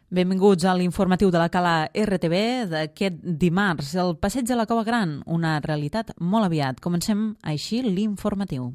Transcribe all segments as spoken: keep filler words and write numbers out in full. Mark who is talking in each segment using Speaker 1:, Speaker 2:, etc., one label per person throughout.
Speaker 1: Benvinguts a l'informatiu de la Cala R T B d'aquest dimarts. El passeig de la Cova Gran, una realitat molt aviat. Comencem així l'informatiu.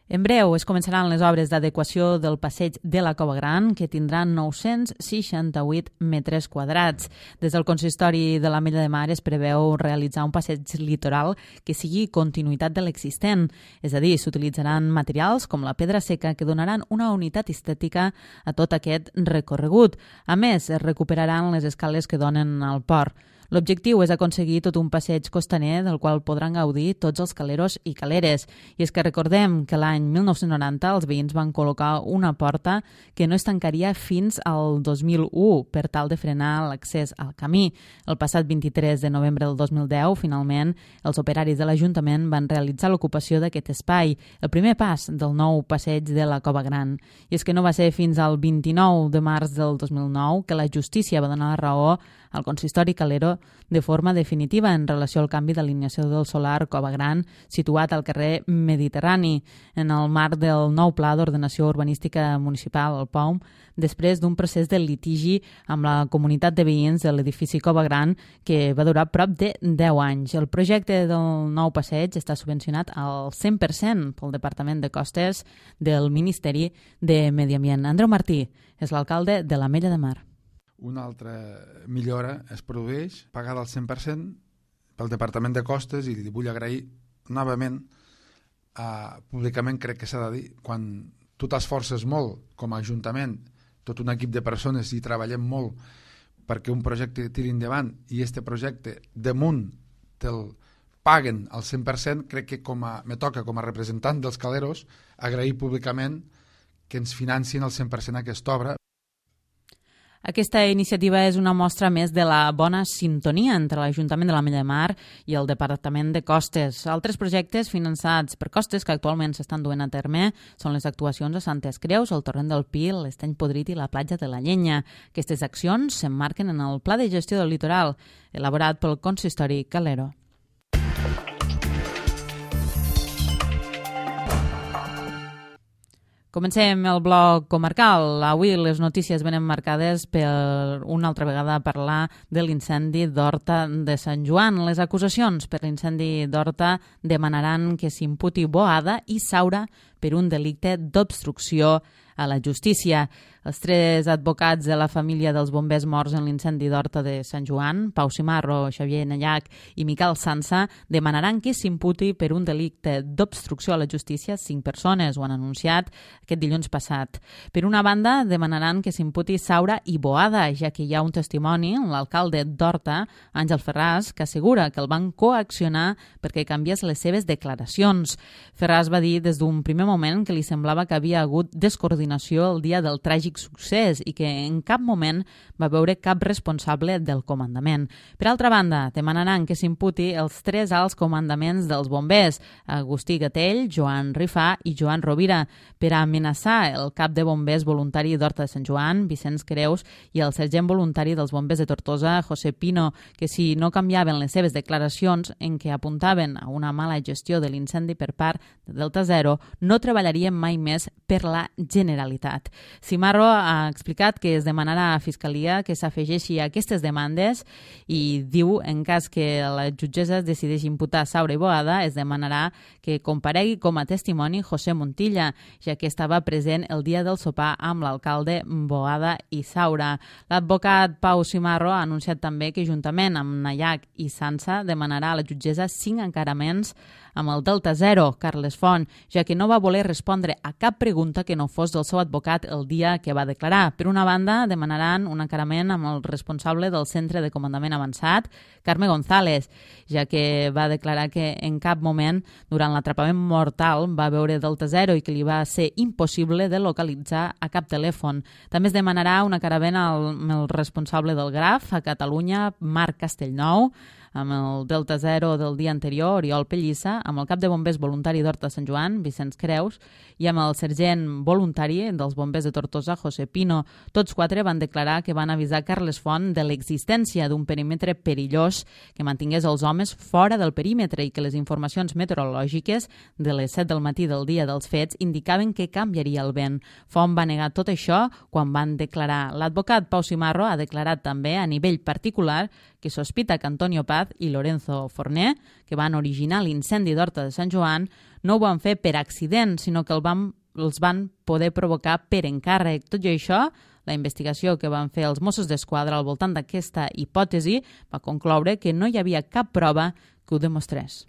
Speaker 1: En breu es començaran les obres d'adequació del passeig de la Cova Gran, que tindran nou-cents seixanta-vuit metres quadrats. Des del consistori de l'Ametlla de Mar es preveu realitzar un passeig litoral que sigui continuïtat de l'existent, és a dir, s'utilitzaran materials com la pedra seca que donaran una unitat estètica a tot aquest recorregut. A més, es recuperaran les escales que donen al port. L'objectiu és aconseguir tot un passeig costaner del qual podran gaudir tots els caleros i caleres. I és que recordem que l'any mil nou-cents noranta els veïns van col·locar una porta que no es tancaria fins al dos mil u per tal de frenar l'accés al camí. El passat vint-i-tres de novembre del dos mil deu, finalment, els operaris de l'Ajuntament van realitzar l'ocupació d'aquest espai, el primer pas del nou passeig de la Cova Gran. I és que no va ser fins al vint-i-nou de març del dos mil nou que la justícia va donar la raó al consistori calero de forma definitiva en relació al canvi d'alineació del solar Cova Gran situat al carrer Mediterrani en el marc del nou Pla d'Ordenació Urbanística Municipal, el P O M, després d'un procés de litigi amb la comunitat de veïns de l'edifici Cova Gran que va durar prop de deu anys. El projecte del nou passeig està subvencionat al cent per cent pel Departament de Costes del Ministeri de Medi Ambient. Andreu Martí és l'alcalde de l'Ametlla de Mar.
Speaker 2: Una altra millora es produeix pagada al cent per cent pel Departament de Costes i li vull agrair novament, eh, públicament crec que s'ha de dir, quan tu t'esforces molt com a Ajuntament, tot un equip de persones i treballem molt perquè un projecte tiri endavant i este projecte damunt te'l paguen al cent per cent, crec que com a, me toca com a representant dels caleros agrair públicament que ens financin al cent per cent aquesta obra.
Speaker 1: Aquesta iniciativa és una mostra més de la bona sintonia entre l'Ajuntament de l'Ametlla de Mar i el Departament de Costes. Altres projectes finançats per Costes que actualment s'estan duent a terme són les actuacions a Santes Creus, el Torrent del Pi, l'Estany Podrit i la platja de la Llenya. Aquestes accions s'emmarquen en el Pla de Gestió del Litoral, elaborat pel consistori calero. Comencem el bloc comarcal. Avui les notícies venen marcades per una altra vegada parlar de l'incendi d'Horta de Sant Joan. Les acusacions per l'incendi d'Horta demanaran que s'imputi Boada i Saura per un delicte d'obstrucció a la justícia. Els tres advocats de la família dels bombers morts en l'incendi d'Horta de Sant Joan, Pau Simarro, Xavier Nallac i Miquel Sansa, demanaran que s'imputi per un delicte d'obstrucció a la justícia cinc persones, ho han anunciat aquest dilluns passat. Per una banda, demanaran que s'imputi Saura i Boada, ja que hi ha un testimoni, l'alcalde d'Horta, Àngel Ferràs, que assegura que el van coaccionar perquè canviés les seves declaracions. Ferràs va dir des d'un primer moment que li semblava que havia hagut descoordinació el dia del tràgic succés i que en cap moment va veure cap responsable del comandament. Per altra banda, demanaran que s'imputi els tres alts comandaments dels bombers, Agustí Gatell, Joan Rifà i Joan Rovira, per amenaçar el cap de bombers voluntari d'Horta de Sant Joan, Vicenç Creus, i el sergent voluntari dels bombers de Tortosa, José Pino, que si no canviaven les seves declaracions en què apuntaven a una mala gestió de l'incendi per part de Delta Zero, no treballarien mai més per la Generalitat. Simarro ha explicat que es demanarà a Fiscalia que s'afegeixi a aquestes demandes i diu, en cas que la jutgessa decideixi imputar Saura i Boada, es demanarà que comparegui com a testimoni José Montilla, ja que estava present el dia del sopar amb l'alcalde Boada i Saura. L'advocat Pau Simarro ha anunciat també que, juntament amb Nallac i Sansa, demanarà a la jutgessa cinc encaraments amb el Delta Zero, Carles Font, ja que no va voler respondre a cap pregunta que no fos del seu advocat el dia que va declarar. Per una banda, demanaran un encarament amb el responsable del Centre de Comandament Avançat, Carme González, ja que va declarar que en cap moment, durant l'atrapament mortal, va veure Delta Zero i que li va ser impossible de localitzar a cap telèfon. També es demanarà un encarament amb el responsable del Graf a Catalunya, Marc Castellnou, amb el Delta Zero del dia anterior, Oriol Pellissa, amb el cap de bombers voluntari d'Horta Sant Joan, Vicenç Creus, i amb el sergent voluntari dels bombers de Tortosa, José Pino. Tots quatre van declarar que van avisar Carles Font de l'existència d'un perímetre perillós que mantingués els homes fora del perímetre i que les informacions meteorològiques de les set del matí del dia dels fets indicaven que canviaria el vent. Font va negar tot això quan van declarar. L'advocat Pau Simarro ha declarat també a nivell particular que sospita que Antonio Paz i Lorenzo Forné, que van originar l'incendi d'Horta de Sant Joan, no ho van fer per accident, sinó que el van, els van poder provocar per encàrrec. Tot i això, la investigació que van fer els Mossos d'Esquadra al voltant d'aquesta hipòtesi va concloure que no hi havia cap prova que ho demostrés.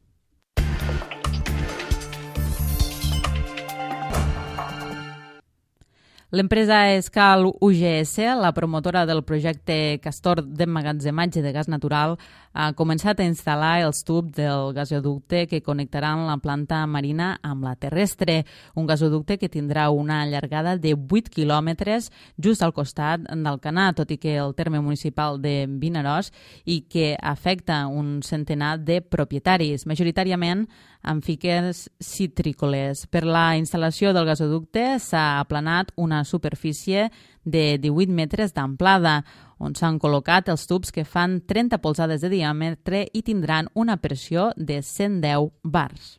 Speaker 1: L'empresa Escal U G S, la promotora del projecte Castor d'emmagatzematge de gas natural, ha començat a instal·lar els tubs del gasoducte que connectaran la planta marina amb la terrestre, un gasoducte que tindrà una llargada de vuit quilòmetres just al costat del Canà, tot i que el terme municipal de Vinaròs, i que afecta un centenar de propietaris, majoritàriament amb fiques citrícoles. Per la instal·lació del gasoducte s'ha aplanat una superfície de divuit metres d'amplada, on s'han col·locat els tubs que fan trenta polzades de diàmetre i tindran una pressió de cent deu bars.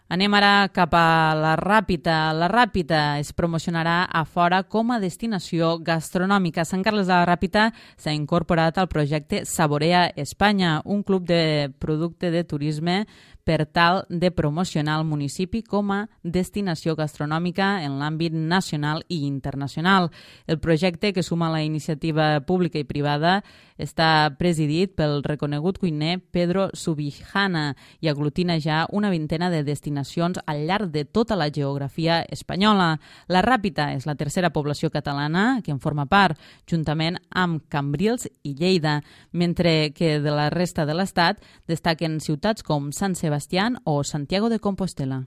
Speaker 1: Anem ara cap a la Ràpita. La Ràpita es promocionarà a fora com a destinació gastronòmica. Sant Carles de la Ràpita s'ha incorporat al projecte Saborea Espanya, un club de producte de turisme per tal de promocionar el municipi com a destinació gastronòmica en l'àmbit nacional i internacional. El projecte, que suma la iniciativa pública i privada, està presidit pel reconegut cuiner Pedro Subijana i aglutina ja una vintena de destinacions al llarg de tota la geografia espanyola. La Ràpita és la tercera població catalana que en forma part, juntament amb Cambrils i Lleida, mentre que de la resta de l'estat destaquen ciutats com Sant Sebastià o Santiago de Compostela.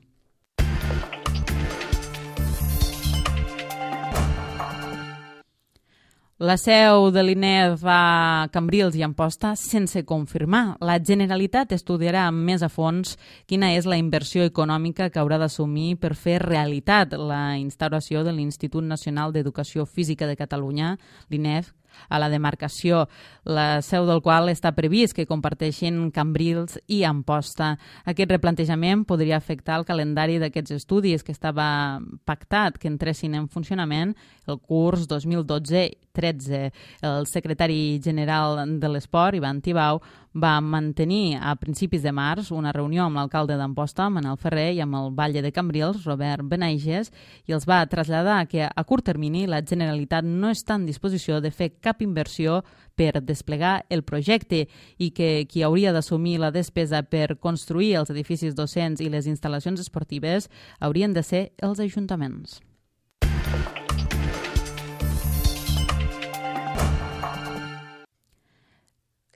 Speaker 1: La seu de l'I N E F a Cambrils i Amposta sense confirmar. La Generalitat estudiarà més a fons quina és la inversió econòmica que haurà d'assumir per fer realitat la instauració de l'Institut Nacional d'Educació Física de Catalunya, l'I N E F, a la demarcació, la seu del qual està previst que comparteixin Cambrils i Amposta. Aquest replantejament podria afectar el calendari d'aquests estudis que estava pactat que entressin en funcionament el curs dos mil dotze tretze. El secretari general de l'Esport, Ivan Tibau, va mantenir a principis de març una reunió amb l'alcalde d'Amposta, Manel Ferrer, i amb el batlle de Cambrils, Robert Benaiges, i els va traslladar que a curt termini la Generalitat no està en disposició de fer cap inversió per desplegar el projecte i que qui hauria d'assumir la despesa per construir els edificis docents i les instal·lacions esportives haurien de ser els ajuntaments.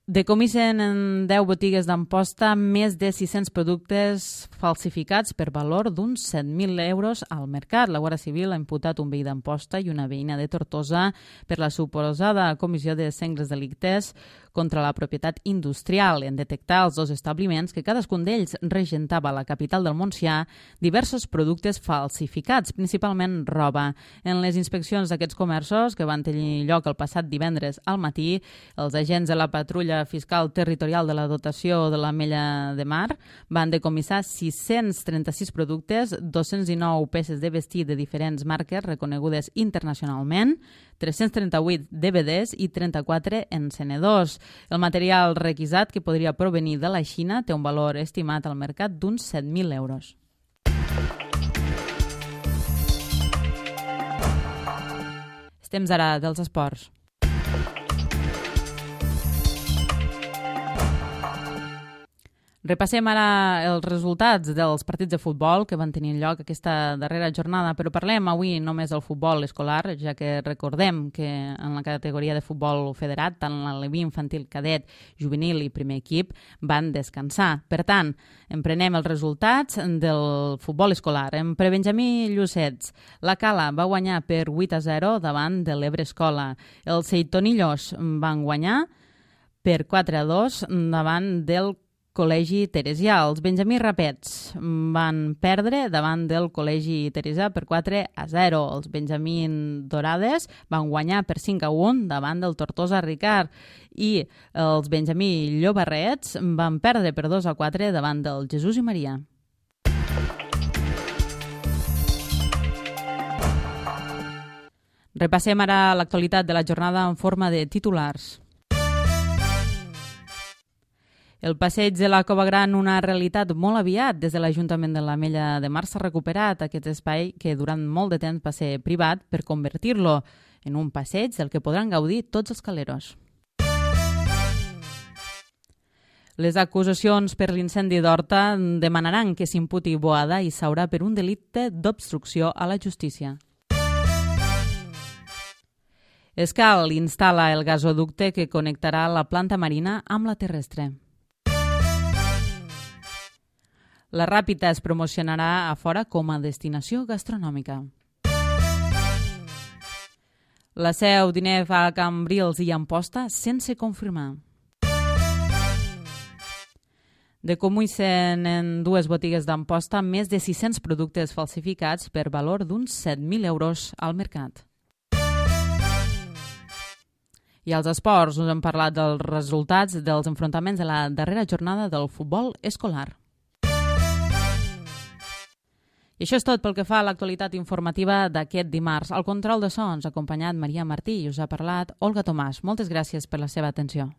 Speaker 1: Decomisen en deu botigues d'Amposta més de sis-cents productes falsificats per valor d'uns set mil euros al mercat. La Guàrdia Civil ha imputat un veí d'Amposta i una veïna de Tortosa per la suposada comissió de sengles delictes contra la propietat industrial en detectar els dos establiments que cadascun d'ells regentava a la capital del Montsià diversos productes falsificats, principalment roba. En les inspeccions d'aquests comerços, que van tenir lloc el passat divendres al matí, els agents de la patrulla fiscal territorial de la dotació de l'Ametlla de Mar van decomissar sis-cents trenta-sis productes, dos-cents dinou peces de vestir de diferents marques reconegudes internacionalment, tres-cents trenta-vuit D V Ds i trenta-quatre encenedors. El material requisat, que podria provenir de la Xina, té un valor estimat al mercat d'uns set mil euros. Estem ara dels esports. Repassem ara els resultats dels partits de futbol que van tenir lloc aquesta darrera jornada, però parlem avui només del futbol escolar, ja que recordem que en la categoria de futbol federat, tant l'aleví infantil, cadet, juvenil i primer equip van descansar. Per tant, emprenem els resultats del futbol escolar. En prebenjamí Llucets, la Cala va guanyar per vuit a zero davant de l'Ebre Escola. Els Seitonillos van guanyar per quatre a dos davant del Col·legi Teresià. Els Benjamí Rapets van perdre davant del Col·legi Teresià per quatre a zero. Els Benjamí Dorades van guanyar per cinc a un davant del Tortosa Ricard i els Benjamí Llobarrets van perdre per dos a quatre davant del Jesús i Maria. Repassem ara l'actualitat de la jornada en forma de titulars. El passeig de la Cova Gran, una realitat molt aviat. Des de l'Ajuntament de l'Ametlla de Mar s'ha recuperat aquest espai que durant molt de temps va ser privat per convertir-lo en un passeig del que podran gaudir tots els caleros. Les acusacions per l'incendi d'Horta demanaran que s'imputi Boada i Saura per un delicte d'obstrucció a la justícia. Escal instal·la el gasoducte que connectarà la planta marina amb la terrestre. La Ràpita es promocionarà a fora com a destinació gastronòmica. La Seu diner a Cambrils i Amposta sense confirmar. Decomissen en dues botigues d'Amposta més de sis-cents productes falsificats per valor d'uns set mil euros al mercat. I als esports us hem parlat dels resultats dels enfrontaments de la darrera jornada del futbol escolar. I això és tot pel que fa a l'actualitat informativa d'aquest dimarts. Al control de so ens ha acompanyat Maria Martí i us ha parlat Olga Tomàs. Moltes gràcies per la seva atenció.